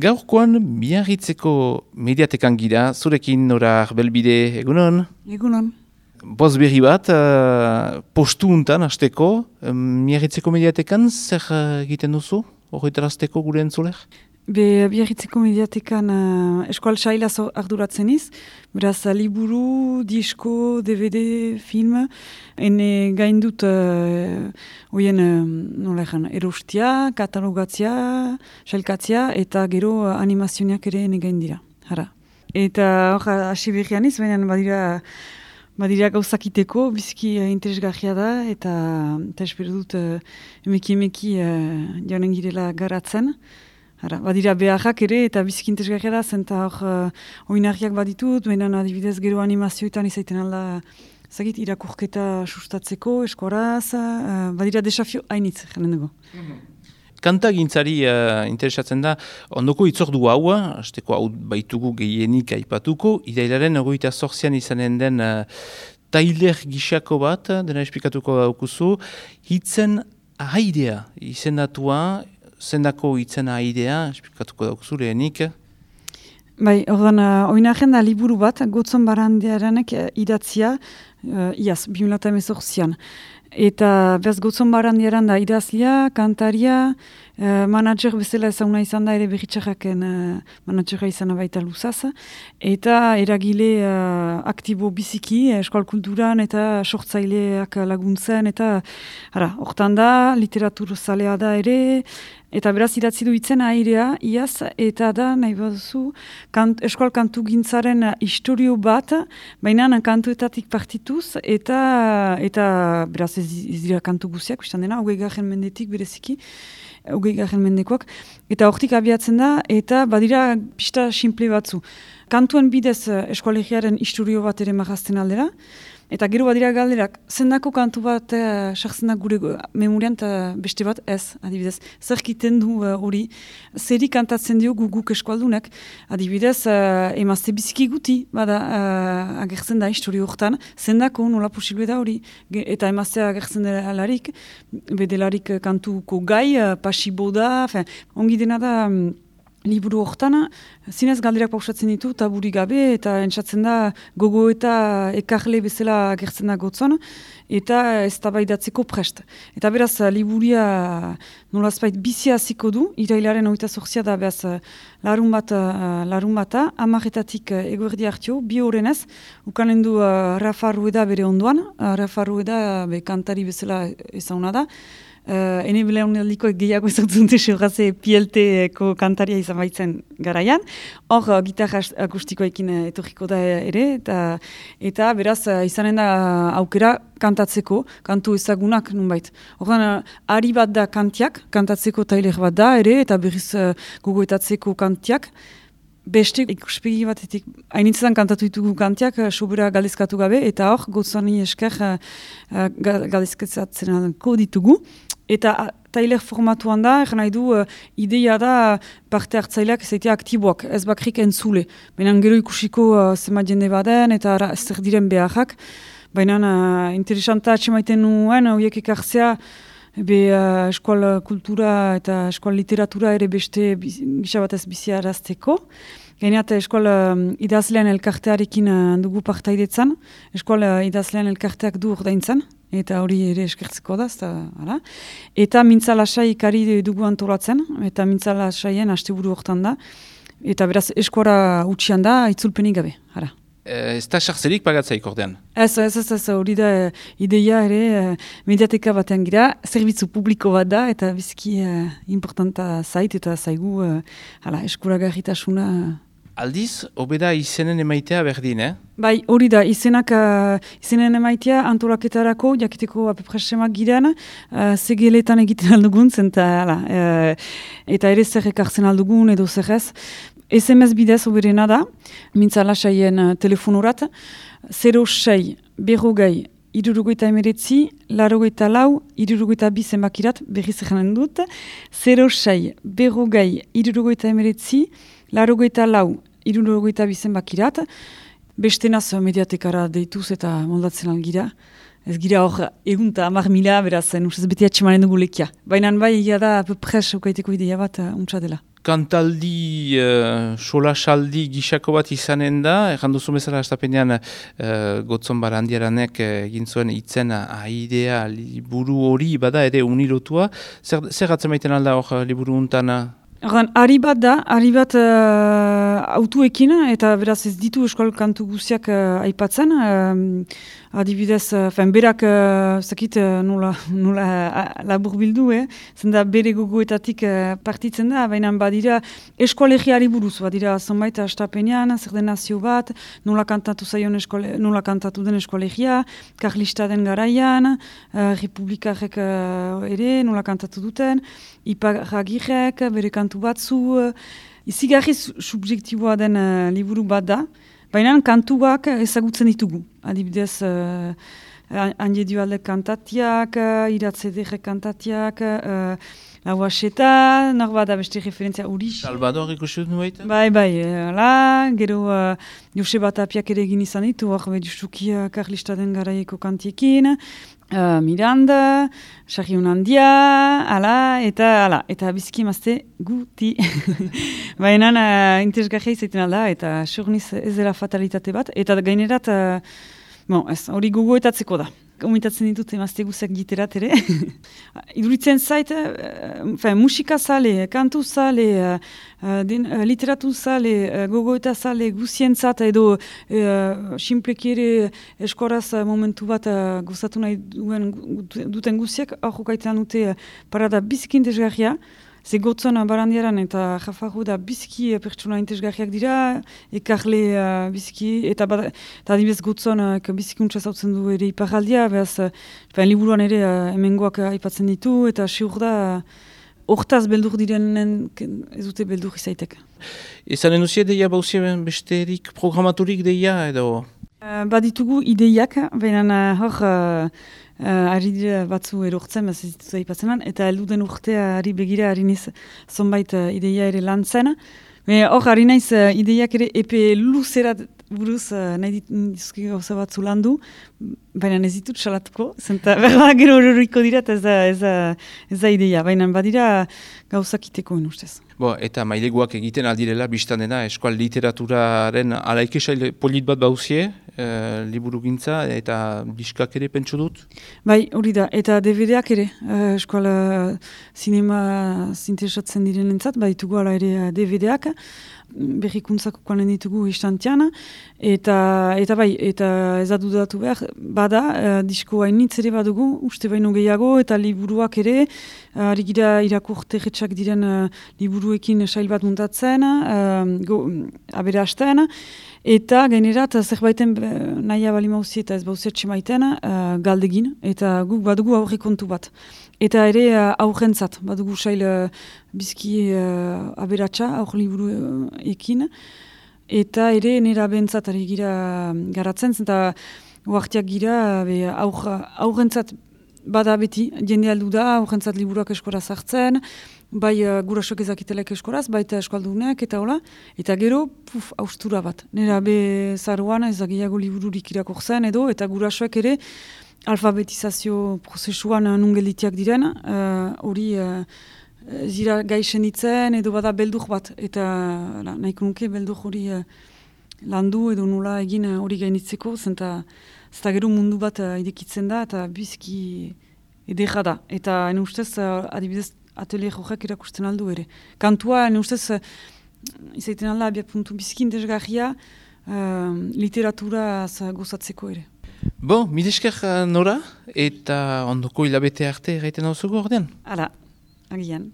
Gaurkoan Miarritzeko mediatekan gira, zurekin Nora Belbide, egunon? Egunon. Boz berri bat, postu untan hasteko, Miarritzeko mediatekan zer egiten duzu? Horretarazteko gure entzuler? Miarritzeko mediatekan eskual saila arduratzen iz, beraz liburu, disko, DVD, film, ene gain dut oien erostia, katalogatzia, sailkatzia eta gero animazioak ere ene gain dira. Hara. Eta hor hasi berrian iz, baina badira gauzakiteko, biziki interesgarria da, eta espero dut emeki jaunen girela garatzen. Hara, badira beharrak ere, eta biziki interesgarria da, zenta hor oinarriak baditut, baina adibidez gero animazioetan izaiten alda zagit irakurketa sustatzeko, eskoraz, badira desafio hainitz, jenen dugu. Kanta gintzari interesatzen da, ondoko itzordu hau, hasteko hau baitugu gehienik aipatuko, irailaren 28an izanen den tailer gixako bat, dena esplikatuko daukuzu, hitzen ahaidea izendatua, zendako hitzen ahaidea, esplikatuko daukuzu lehenik. Bai, ordan, oinarren da liburu bat, Gotzon Barandiaranek idatzia, iaz, 2018an. Eta bez Gotzon Barandiaran da idazlia, kantaria, manager bezala ezaguna izan da ere berritxarraken managera izan baita luzaz. Eta eragile aktibo biziki, eskual kulturan eta sortzaileak laguntzen. Eta hortan da, literatur zalea da ere, eta beraz idatzi du hitzen airea, iaz, eta da, nahi baduzu, eskual kantu gintzaren historio bat, baina kantuetatik partituz, eta beraz ez dira kantu guziak, biztan dena, 20. mendetik bereziki, 20. mendekoak, eta hortik abiatzen da, eta badira pista simple batzu. Kantuen bidez eskualegiaren historio bat ere marrazten aldera, eta gero badira galderak, zendako kantu bat sartzen da gure memorian eta beste bat ez, adibidez. Zer kiten du hori, zeri kantatzen dio guk eskualdunek, adibidez, emazte biziki guti, bada agertzen da historio horretan, zendako nola posible da hori, eta emazte agertzen delarik, bedelarik kantuko gai, pasibo da, ongi dena da, liburu horretan, zinez galderak pausatzen ditu, taburi gabe, eta entzatzen da gogo eta ekarle bezala agertzen da Gotzon, eta ez tabaidatzeko prest. Eta beraz, liburia nolazpait bizia hasiko du, irailaren 28a da beraz larun bata, 10:00 eguerdi hartio, 2 horrenez, ukanen du Rafa Rueda bere ondoan, Rafa Rueda kantari bezala ezaguna da, ene belaunaldiko gehiago ezagutzen dute PLT-ko kantaria izan baitzen garaian. Hor, gitarra akustikoekin etorriko da ere, eta beraz izanen da aukera kantatzeko, kantu ezagunak nunbait. Horren, ari bat da kantatzeko tailer bat da ere, eta berriz gogoetatzeko kantiak. Beste ikuspegi batetik, hainitzetan kantatu ditugu kantiak, sobera galdezkatu gabe, eta hor, Gotzoni esker galdezkatzen ditugu. Eta tailer formatuan da, nahi du, ideia da parte hartzaileak ezaitea aktiboak, ez bakrik entzule. Baina gero ikusiko zema jende baden, eta zer diren beharrak. Baina interesanta atxemaiten nuen, horiek ekartzea, eskual kultura eta eskual literatura ere beste gisa batez bizia arazteko. Gaineat eskual idazlean elkartearekin dugu partaidetzan, eskual idazlean elkarteak du ordaintzen, eta hori ere eskertzeko da, eta mintzalasai ikari dugu antolatzen, eta mintzalasaien asteburu hortan da, eta beraz eskuara utxian da, itzulpenik gabe, hara. Ez da sartzerik pagatzaik ordean? Ez, hori da ideia ere mediateka batean gira, zerbitzu publiko bat da, eta biziki importanta zait, eta zaigu eskuragarritasuna. Aldiz, hobeda izenen emaitea berdin, Bai, hori da, izenen emaitea antolaketarako, jakiteko apepresemak girean, zegeletan egiten aldugun, eta ere zer ekartzen aldugun edo zer ez. SMS bidez oberena da, mintzalasaien telefonorat, 06 berrogei 69 84 62 zenbakirat, berriz egenen dut, 06 berrogei 69 84 62 zenbakirat, beste naz mediatekara deituz eta moldatzen algira. Ez gira hor egunta 10.000, beraz, nusez beti atxemanen dugu lekia. Baina bai, da, pres, ukaiteko ideia bat, untsa dela. kantaldi, solasaldi gisako bat izanen da, erranduzu bezala astapenean Gotzon Barandiaranek egin zuen itzen aidea liburu hori bada ere unirotua. Zer gatzen maiten alda hor liburu untana? Ari bat da, autuekin, eta beraz ez ditu eskol kantu guziak aipatzen. Adibidez, berak zakit nola labur bildu, zenda bere gogoetatik partitzen da, baina badira eskolegiari buruz, badira zonbait astapenean, zer den nazio bat, nola kantatu den eskolegia, karlista den garaian, republikarek ere, nola kantatu duten, iparagirek, bere kantu batzu, izigarri subjektiboa den liburu bat da, baina kantuak ezagutzen ditugu. Adibidez, Anje Dualdek kantatiak, Iratzederek kantatiak, Lauaseta, norbada beste referentzia Uriz. Salvador ikusi dut nueita? Bai, gero Joseba Tapiak ere egin izan ditu, hor justuki karlista den garaieko kantiekin, Miranda, Sarriun Handia, eta biziki emazte guti. Baina interesgarria izaiten alda, eta surniz ez dela fatalitate bat, eta gainerat, hori gogoetatzeko da. Komitatzen ditut emazte guzak giterat ere. Iduritzen zait, musika zale, kantu zale, literatu zale, gogoeta zale, guzientzat edo simpleki ere eskoraz momentu bat gozatu nahi duten guziak, hor jokaitzen dute parada biziki interesgarria. Ze Gotzon Barandiaran eta Jafarro da biziki pertsona interesgarriak dira, ekarle biziki, eta adibidez Gotzon bizikuntza zautzen du ere iparaldia, behaz, liburuan ere hemengoak aipatzen ditu, eta siur da hortaz beldur direnen ez dute beldur izaitek. Ezanen duzia deia bauzien besterik programaturik deia edo? Baditugu ideiak, baina hor ari dira batzu erortzen, ez dituza ipatzen eta elduden urtea ari begira ari niz zonbait ideia ere lan zen. Hor ari naiz ideiak ere epe luzerat buruz nahi dituzki gauza batzu landu, baina ez ditut salatuko, zenta berda gero horriko dira ez da ideia, baina badira gauzak iteko ustez. Eta maileguak egiten aldirela, biztan dena, eskual literaturaren alaikesail polit bat bauzie, liburu gintza, eta diskak ere pentsu dut? Bai, hori da, eta DVD-ak ere, eskual sinema zinteresatzen direnentzat, baditugu ala ere DVD-ak, berrikuntzako koanen ditugu istantean, eta ez da dudatu behar, bada, disko hainitz ere badugu, uste baino gehiago, eta liburuak ere, ari gira irakurterretxak diren liburuekin sail bat muntatzen, aberasten, eta gainerat zerbaiten nahi abali mauzi eta ez bauziatxe maiten galdegin, eta guk badugu aurre kontu bat. Eta ere aurrentzat, badugu sail bizki aberatsa, aur liburu ekin, eta ere nera bentzat ari gira garatzen, eta uartiak gira aurrentzat bada beti, jende aldu da, aurrentzat liburuak eskoraz hartzen, bai gurasoak ezakitelek eskoraz, baita eskaldunek eta hola, eta gero, austura bat. Nera be zaruan ezagiago libururik irakortzen edo, eta gurasoak ere, alfabetizazio prozesuan nungelitiak diren, hori zira gaixen ditzen edo bada beldur bat, eta nahiko nuke beldur hori landu edo nola egin hori gainitzeko, zenta gero mundu bat idekitzen da, eta bizki edera da. Eta ene ustez, adibidez, atelier horrek erakusten aldu ere. Kantua, ene ustez, izaiten alda, abiak puntu bizki interesgarria, literatura gozatzeko ere. Mil esker Nora, eta ondoko hilabete arte gaiten hau zugu ordean? Hala, agian.